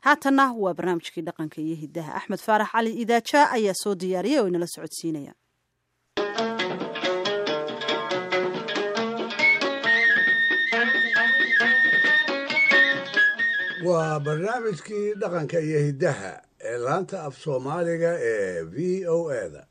Haatanna waa barnaamijkii dhaqanka iyo hidaha. Axmed Faarax Cali Idaaja ayaa soo diyaariyay oo inala socodsiinaya. Waa barnaamijkii dhaqanka iyo hiddaha ee laanta af Soomaaliga ee VOA-da.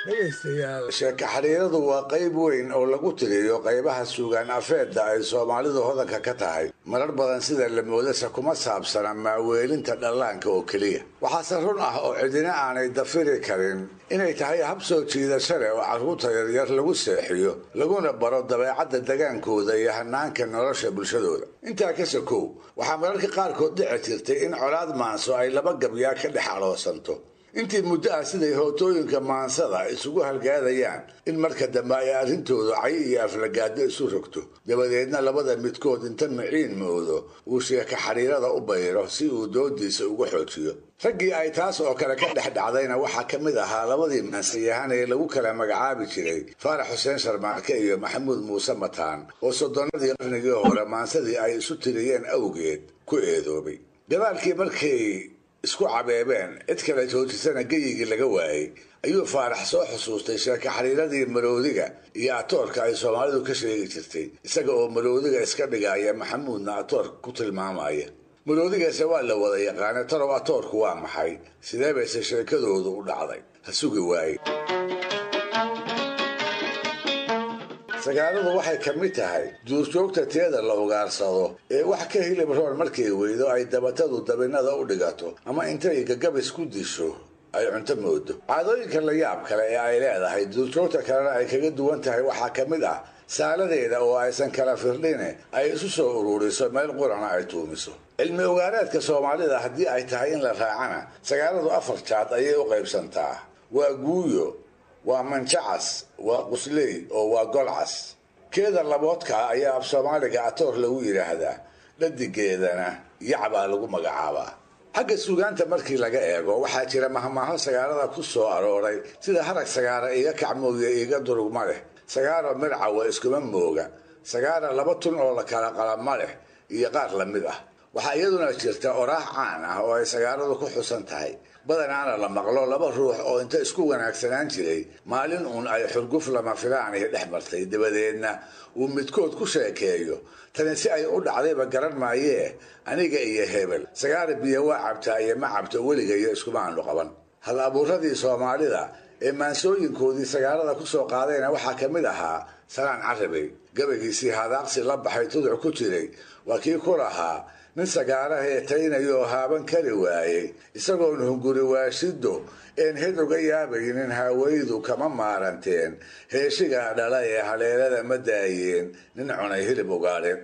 Dhegaystayaal, sheeko xariiradu waa qayb weyn oo lagu tiriyo qaybaha suugaan afeedda ay Soomaalidu hodanka ka tahay. Marar badan sida la moodase kuma saabsana maaweelinta dhallaanka oo keliya. Waxaase run ah oo cidina aanay dafiri karin inay tahay hab soo jiidasho leh oo carruurta yaryar lagu seexiyo, laguna baro dabeecadda degaankooda iyo hanaanka nolosha bulshadooda. Intaa ka sokow, waxaa mararka qaarkood dhici jirtay in colaad maanso ay laba gabyaa ka dhex aloosanto intii muddo ah, siday hootooyinka maansada isugu halgaadayaan, in marka dambe ay arrintoodu cay iyo aflagaado isu rogto, dabadeedna labada midkood inta miciin moodo uu sheeko xariirada u bayro si uu doodiisa ugu xoojiyo. Raggii ay taas oo kale ka dhex dhacdayna waxaa ka mid ahaa labadii maansayahan ee lagu kala magacaabi jiray Faarax Xuseen Sharmaarke iyo Maxamuud Muuse Mataan, oo soddonnadii qarnigii hore maansadii ay isu tiriyeen awgeed ku eedoobay. Gadaalkii markay isku cabeebeen, cid kale joojisana geyigii laga waayey, ayuu Faarax soo xusuustay sheeko xariiradii maroodiga iyo atoorka ay Soomaalidu ka sheegi jirtay, isaga oo maroodiga iska dhigaya, Maxamuudna atoorka ku tilmaamaya. Maroodigaase waa la wada yaqaana, tarow atoorku waa maxay? Sidee bayse sheekadoodu u dhacday? Ha sugi waaye. Sagaaladu waxay ka mid tahay duurjoogta teeda la ugaarsado ee wax ka hilib roon markay weydo ay dabatadu dabinada u dhigato ama intay gagabis ku disho ay cunto moodo. Caadooyinka la yaab kale ee ay leedahay, duurjoogta kalena ay kaga duwan tahay, waxaa ka mid ah saaladeeda oo aysan kala firdhine ay isu soo ururiso, meel qurana ay tuumiso. Cilmi ogaareedka Soomaalida haddii ay tahay in la raacana, sagaaladu afar jaad ayay u qaybsantaa: waa guuyo, waa manjacas, waa qusley oo waa golcas. Keeda laboodkaa ayaa af Soomaaliga atoor lagu yidhaahdaa, dhadigeedana yacbaa lagu magacaabaa. Xagga suugaanta markii laga eego, waxaa jira mahmaaho sagaalada ku soo arooray, sida "Harag sagaara iga kacmooya iiga durugma leh", "Sagaaro mircawa iskuma mooga", "Sagaara laba tun oo la kala qalama leh", iyo qaar lamid ah. Waxaa iyaduna jirta oraah caan ah oo ay sagaaladu ku xusan tahay, badanaana la maqlo: laba ruux oo inta isku wanaagsanaan jiray maalin uun ay xurguf lama filaanihi dhex martay, dabadeedna uu midkood ku sheekeeyo: "Tani si ay u dhacdayba garan maayee, aniga iyo hebel sagaara biyo waa cabtaa iyo ma cabto weligayo iskuma aanu qaban." Hal abuuradii Soomaalida ee maansooyinkoodii sagaalada ku soo qaadayna waxaa ka mid ahaa Salaan Carabey. Gabaygiisii hadaaqsi la baxay tuduc ku jiray waa kii ku lahaa: "Nin sagaarahee taynayoo haaban kari waayey, isagoon hunguri waashido een hed uga yaabaynin, haawaydu kama maaranteen, heeshigaa dhala ee haleelada ma daayeen nin cunay hilib ugaadheen."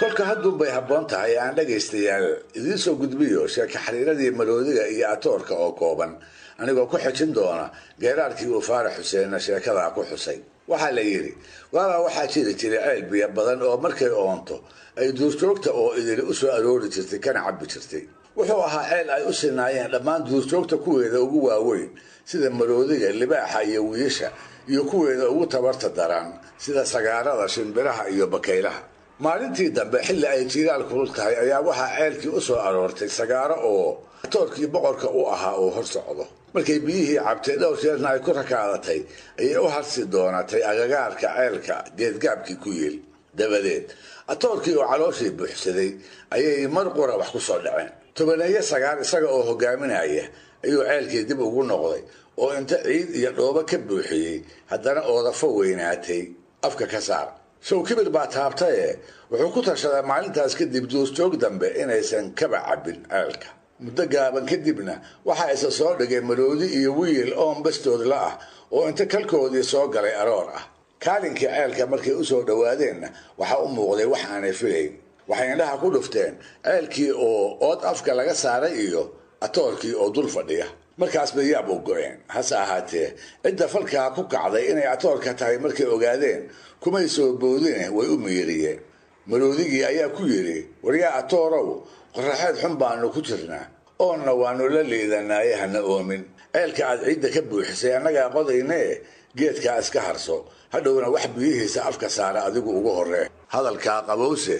Kolka hadduunbay habboon tahay aan dhegaystayaal idiin soo gudbiyo sheeko xariiradii maroodiga iyo atoorka oo kooban, anigoo ku xejin doona geeraarkii uu Faarax Xuseenna sheekadaa ku xusay. Waxaa la yidhi, waabaa waxaa jiri jiray ceel biyo badan oo markay oonto ay duurjoogta oo idili u soo aroori jirtay kana cabbi jirtay. Wuxuu ahaa ceel ay u sinaayeen dhammaan duurjoogta kuweeda ugu waaweyn sida maroodiga, libaaxa iyo wiisha, iyo kuweeda ugu tabarta daran sida sagaarada, shimbiraha iyo bakaylaha. Maalintii dambe, xilli ay jiiraal kulul tahay, ayaa waxaa ceelkii u soo aroortay sagaaro oo atoorkii boqorka u ahaa uu hor socdo. Markay biyihii cabtay, dhowr jeerna ay ku rakaadatay, ayay u harsi doonatay agagaarka ceelka geedgaabkii ku yiil. Dabadeed atoorkii oo calooshii buuxsaday ayay mar qura wax ku soo dhaceen. Tobaneeyo sagaar isaga oo hogaaminaya ayuu ceelkii dib ugu noqday oo inta ciid iyo dhoobo ka buuxiyey haddana oodafo weynaatay afka ka saar. Show kibir baa taabtaye, wuxuu ku tashaday maalintaas kadib duurjoog dambe inaysan kaba cabbin ceelka. Muddo gaaban kadibna waxaa isa soo dhigay maroodi iyo wiil oon bastood la ah oo inta kalkoodii soo galay aroor ah. Kaalinkii ceelka markay usoo dhowaadeenna waxaa u muuqday wax aanay filayn. Waxay indhaha ku dhufteen ceelkii oo ood afka laga saaray iyo atoorkii oo dul fadhiya. Markaas bay yaab u go-een. Hase ahaatee, cidda falkaa ku kacday inay atoorka tahay markay ogaadeen, kumay soo boodine way u miiriyeen. Maroodigii ayaa ku yidhi: "Waryaa atoorow, Qorraxeed xun baanu ku jirnaa, oonna waannu la liidanaaye, hana oomin. Ceelka aad ciidda ka buuxisay annagaa qodaynee, geedkaa iska harso, hadhowna wax biyihiisa afka saara adigu ugu horree. Hadalkaa qabowse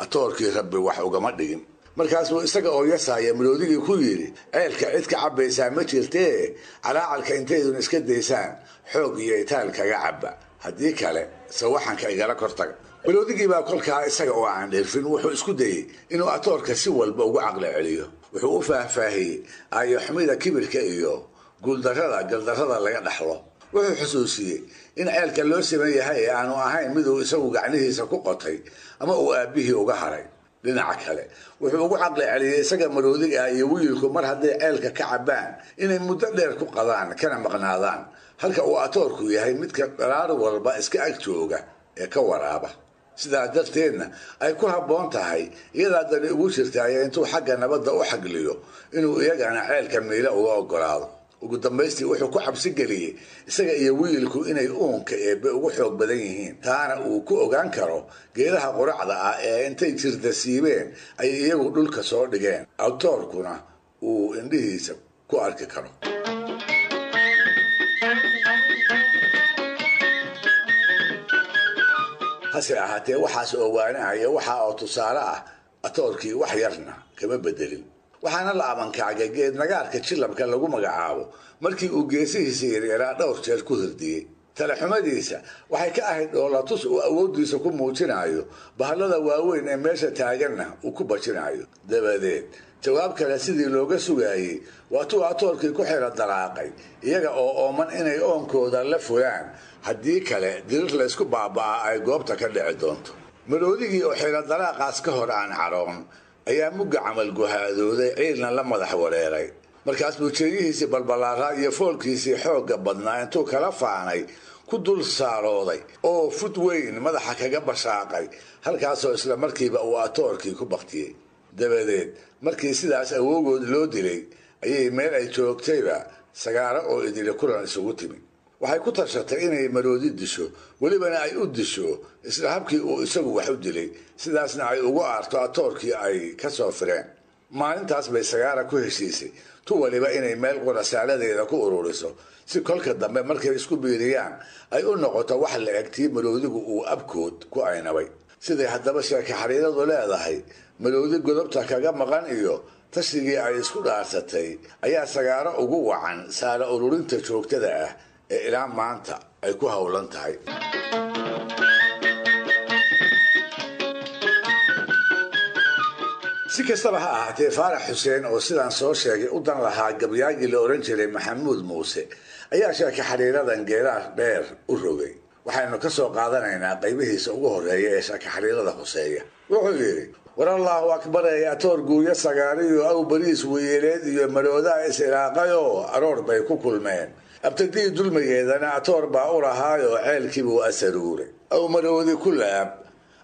atoorkii rabbi wax ugama dhigin. Markaasuu isaga oo yasaaya maroodigii ku yidhi, ceelka cid ka cabbaysaa ma jirtee, calaacalka intaydun iska daysaan xoog iyo itaal kaga cabba, haddii kale sawaxanka igala kortaga. Maroodigii baa kolkaa isaga oo aan dhirfin wuxuu isku dayey inuu atoorka si walba ugu caqli celiyo. Wuxuu u faahfaahiyey aayoxumida kibirka iyo guuldarrada galdarrada laga dhaxlo. Wuxuu xusuusiyey in ceelka loo siman yahay ee aanu ahayn miduu isagu gacnihiisa ku qotay ama uu aabbihii uga haray. Dhinaca kale wuxuu ugu caqli celiyey isaga maroodiga ah iyo wiilku mar hadday ceelka ka cabbaan inay muddo dheer ku qadaan kana maqnaadaan, halka uu atoorku yahay midka dharaar walba iska ag jooga ee ka waraaba. Sidaas darteedna ay ku habboon tahay iyadaa dani ugu jirtaaye intuu xagga nabadda u xagliyo inuu iyagana ceelka miile uga ogolaado. Ugu dambaystii wuxuu ku cabsi geliyey isaga iyo wiilku inay uunka eebbe ugu xoog badan yihiin, taana uu ku ogaan karo geedaha quracda ah ee intay jirda siibeen ay iyagu dhulka soo dhigeen, atoorkuna uu indhihiisa ku arki karo. Hase ahaatee waxaas oo waanahaya, waxa oo tusaale ah, atoorkii wax yarna kama bedelin. Waxaana la abankaagay geed nagaarka jilabka lagu magacaabo markii uu geesihiisa yaryaraa dhowr jeer ku hirdiyey. Talaxumadiisa waxay ka ahayd dhoolatus uu awooddiisa ku muujinayo, bahallada waaweyn ee meesha taaganna uu ku bajinayo. Dabadeed jawaab kale sidii looga sugaayey waatuu atoorkii ku xira dalaaqay iyaga oo ooman inay oonkooda la fulaan, haddii kale dirir laysku baaba'aa ay goobta ka dhici doonto. Maroodigii oo xira dalaaqaas ka hor aan caroon ayaa mugga camal guhaadooday, ciilna la madax wareeray. Markaas buu jeeyihiisii balbalaaraa iyo foolkiisii xoogga badnaa intuu kala faanay ku dul saarooday oo fud weyn madaxa kaga bashaaqay, halkaasoo isla markiiba uu atoorkii ku baktiyey. Dabadeed markii sidaas awoogood loo dilay ayay meel ay joogtayba sagaaro oo idili kulan isugu timi. Waxay ku tashatay inay maroodi disho, welibana ay u disho isla habkii uu isagu wax u dilay, sidaasna ay ugu aarto atoorkii ay ka soo fireen. Maalintaas bay sagaara ku heshiisay tu waliba inay meel qurasaaladeeda ku ururiso, si kolka dambe markay isku biiriyaan ay u noqoto wax la eg tii maroodigu uu abkood ku aynabay. Siday haddaba sheeke xariiradu leedahay, maroodi godobta kaga maqan iyo tashigii ay isku dhaarsatay ayaa sagaaro ugu wacan saala ururinta joogtada ah ee ilaa maanta ay ku howlan tahay. Si kastaba ha ahaatee, Faarax Xuseen oo sidaan soo sheegay u dan lahaa gabyaagii la odhan jiray Maxamuud Muuse ayaa sheeke xariiradan geeraar dheer u rogay. Waxaynu ka soo qaadanaynaa qaybihiisa ugu horreeya ee sheeke xariirada hoseeya. Wuxuu yidhi: war allaahu akbarey, atoor guuyo sagaariyo aw bariis weyeeleed iyo maroodaa is ilaaqayoo aroor bay ku kulmeen. Abtadii dulmigeedana atoor baa u lahaayoo ceelkiibuu asaruuray. Aw maroodi ku laab,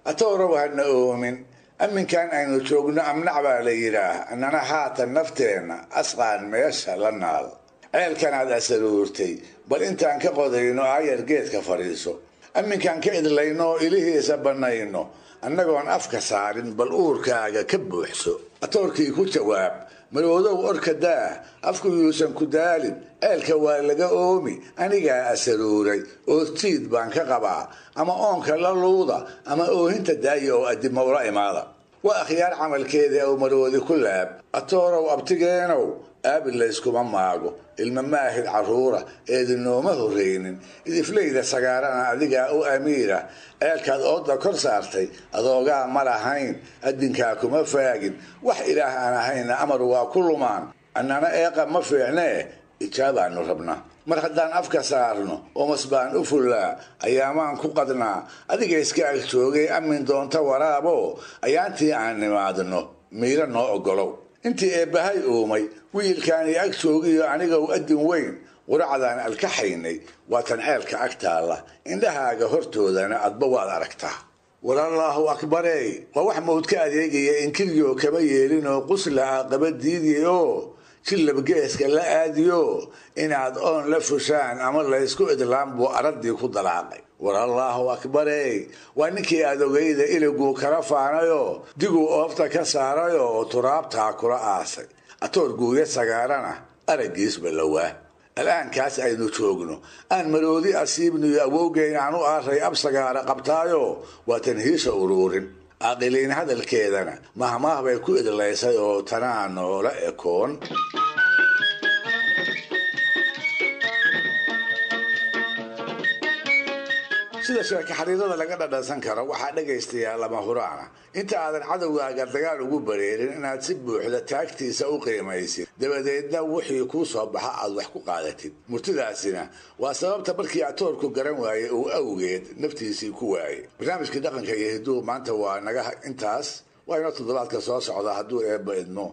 atoorow hana oomin, amminkan aynu joogno amnac baa la yidhaah, annana haatan nafteenna asqaan meesha la naal. Ceelkanaad asaruurtay bal intaan ka qodayno aayar geedka fadhiiso, amminkaan ka idlayno oo ilihiisa bannayno annagoon afka saarin bal uurkaaga ka buuxso. Atoorkii ku jawaab: maroodow orka daah, afku yuusan ku daalin, ceelka waa laga oomi, anigaa asaruuray, oortiid baan ka qabaa, ama oonka la luuda ama oohinta daaya oo addima ula imaada. Waa akhyaar camalkeeda. Ow maroodi ku laab: atoorow abtigeenow, aabi layskuma maago, ilma maahid carruura eedinooma horreynin, idifleyda sagaarana adigaa u amiira, ceelkaad ooda kor saartay adoogaa ma lahayn, addinkaa kuma faagin, wax ilaah aan ahayna amar waa ku lumaan, annana eeqa ma fiicnee ijaabaanu rabnaa. Mar haddaan afka saarno omas baan u fullaa, ayaamaan ku qadnaa, adiga iska ag joogay amin doonta waraabo, ayaantii aan nimaadno miiro noo oggolow. Intii eebbahay uumay wiilkaani ag joogiyo anigow addin weyn quracdaan alkaxaynay waatan ceelka ag taalla, indhahaaga hortoodana adba waad aragtaa. Walallaahu akbarey, waa wax mawd ka adeegaya, inkiryo kama yeelinoo qusla aaqaba diidiyoo jillab geeska la aadiyo, inaad oon la fushaan ama laysku idlaan buu araddii ku dalaaqay. War allaahu akbarey, waa ninkii adogayda iliguu kala faanayoo diguu oofta ka saarayoo turaabtaa kula aasay. Atoor guuya sagaarana araggiisba lawaa. Al'aankaas aynu joogno aan maroodi asiibniyo awowgeyn aan u aaray ab sagaara qabtaayoo waa tanhiisha uruurin. Aqiliin hadalkeedana mahmaah bay ku idlaysay oo tanaa noola ekoon. Sida sheeke xariirada laga dhadhansan karo, waxaa dhagaystayaa lama huraana inta aadan cadowgaaga dagaal ugu bareerin inaad si buuxda taagtiisa u qiimaysid, dabadeedna wixii kuu soo baxa aad wax ku qaadatid. Murtidaasina waa sababta markii atoorku garan waayey uu awgeed naftiisii ku waayey. Barnaamijkii dhaqanka iyo hiduhu maanta waa naga intaas. Waa inoo toddobaadka soo socda hadduu Eebba idmo.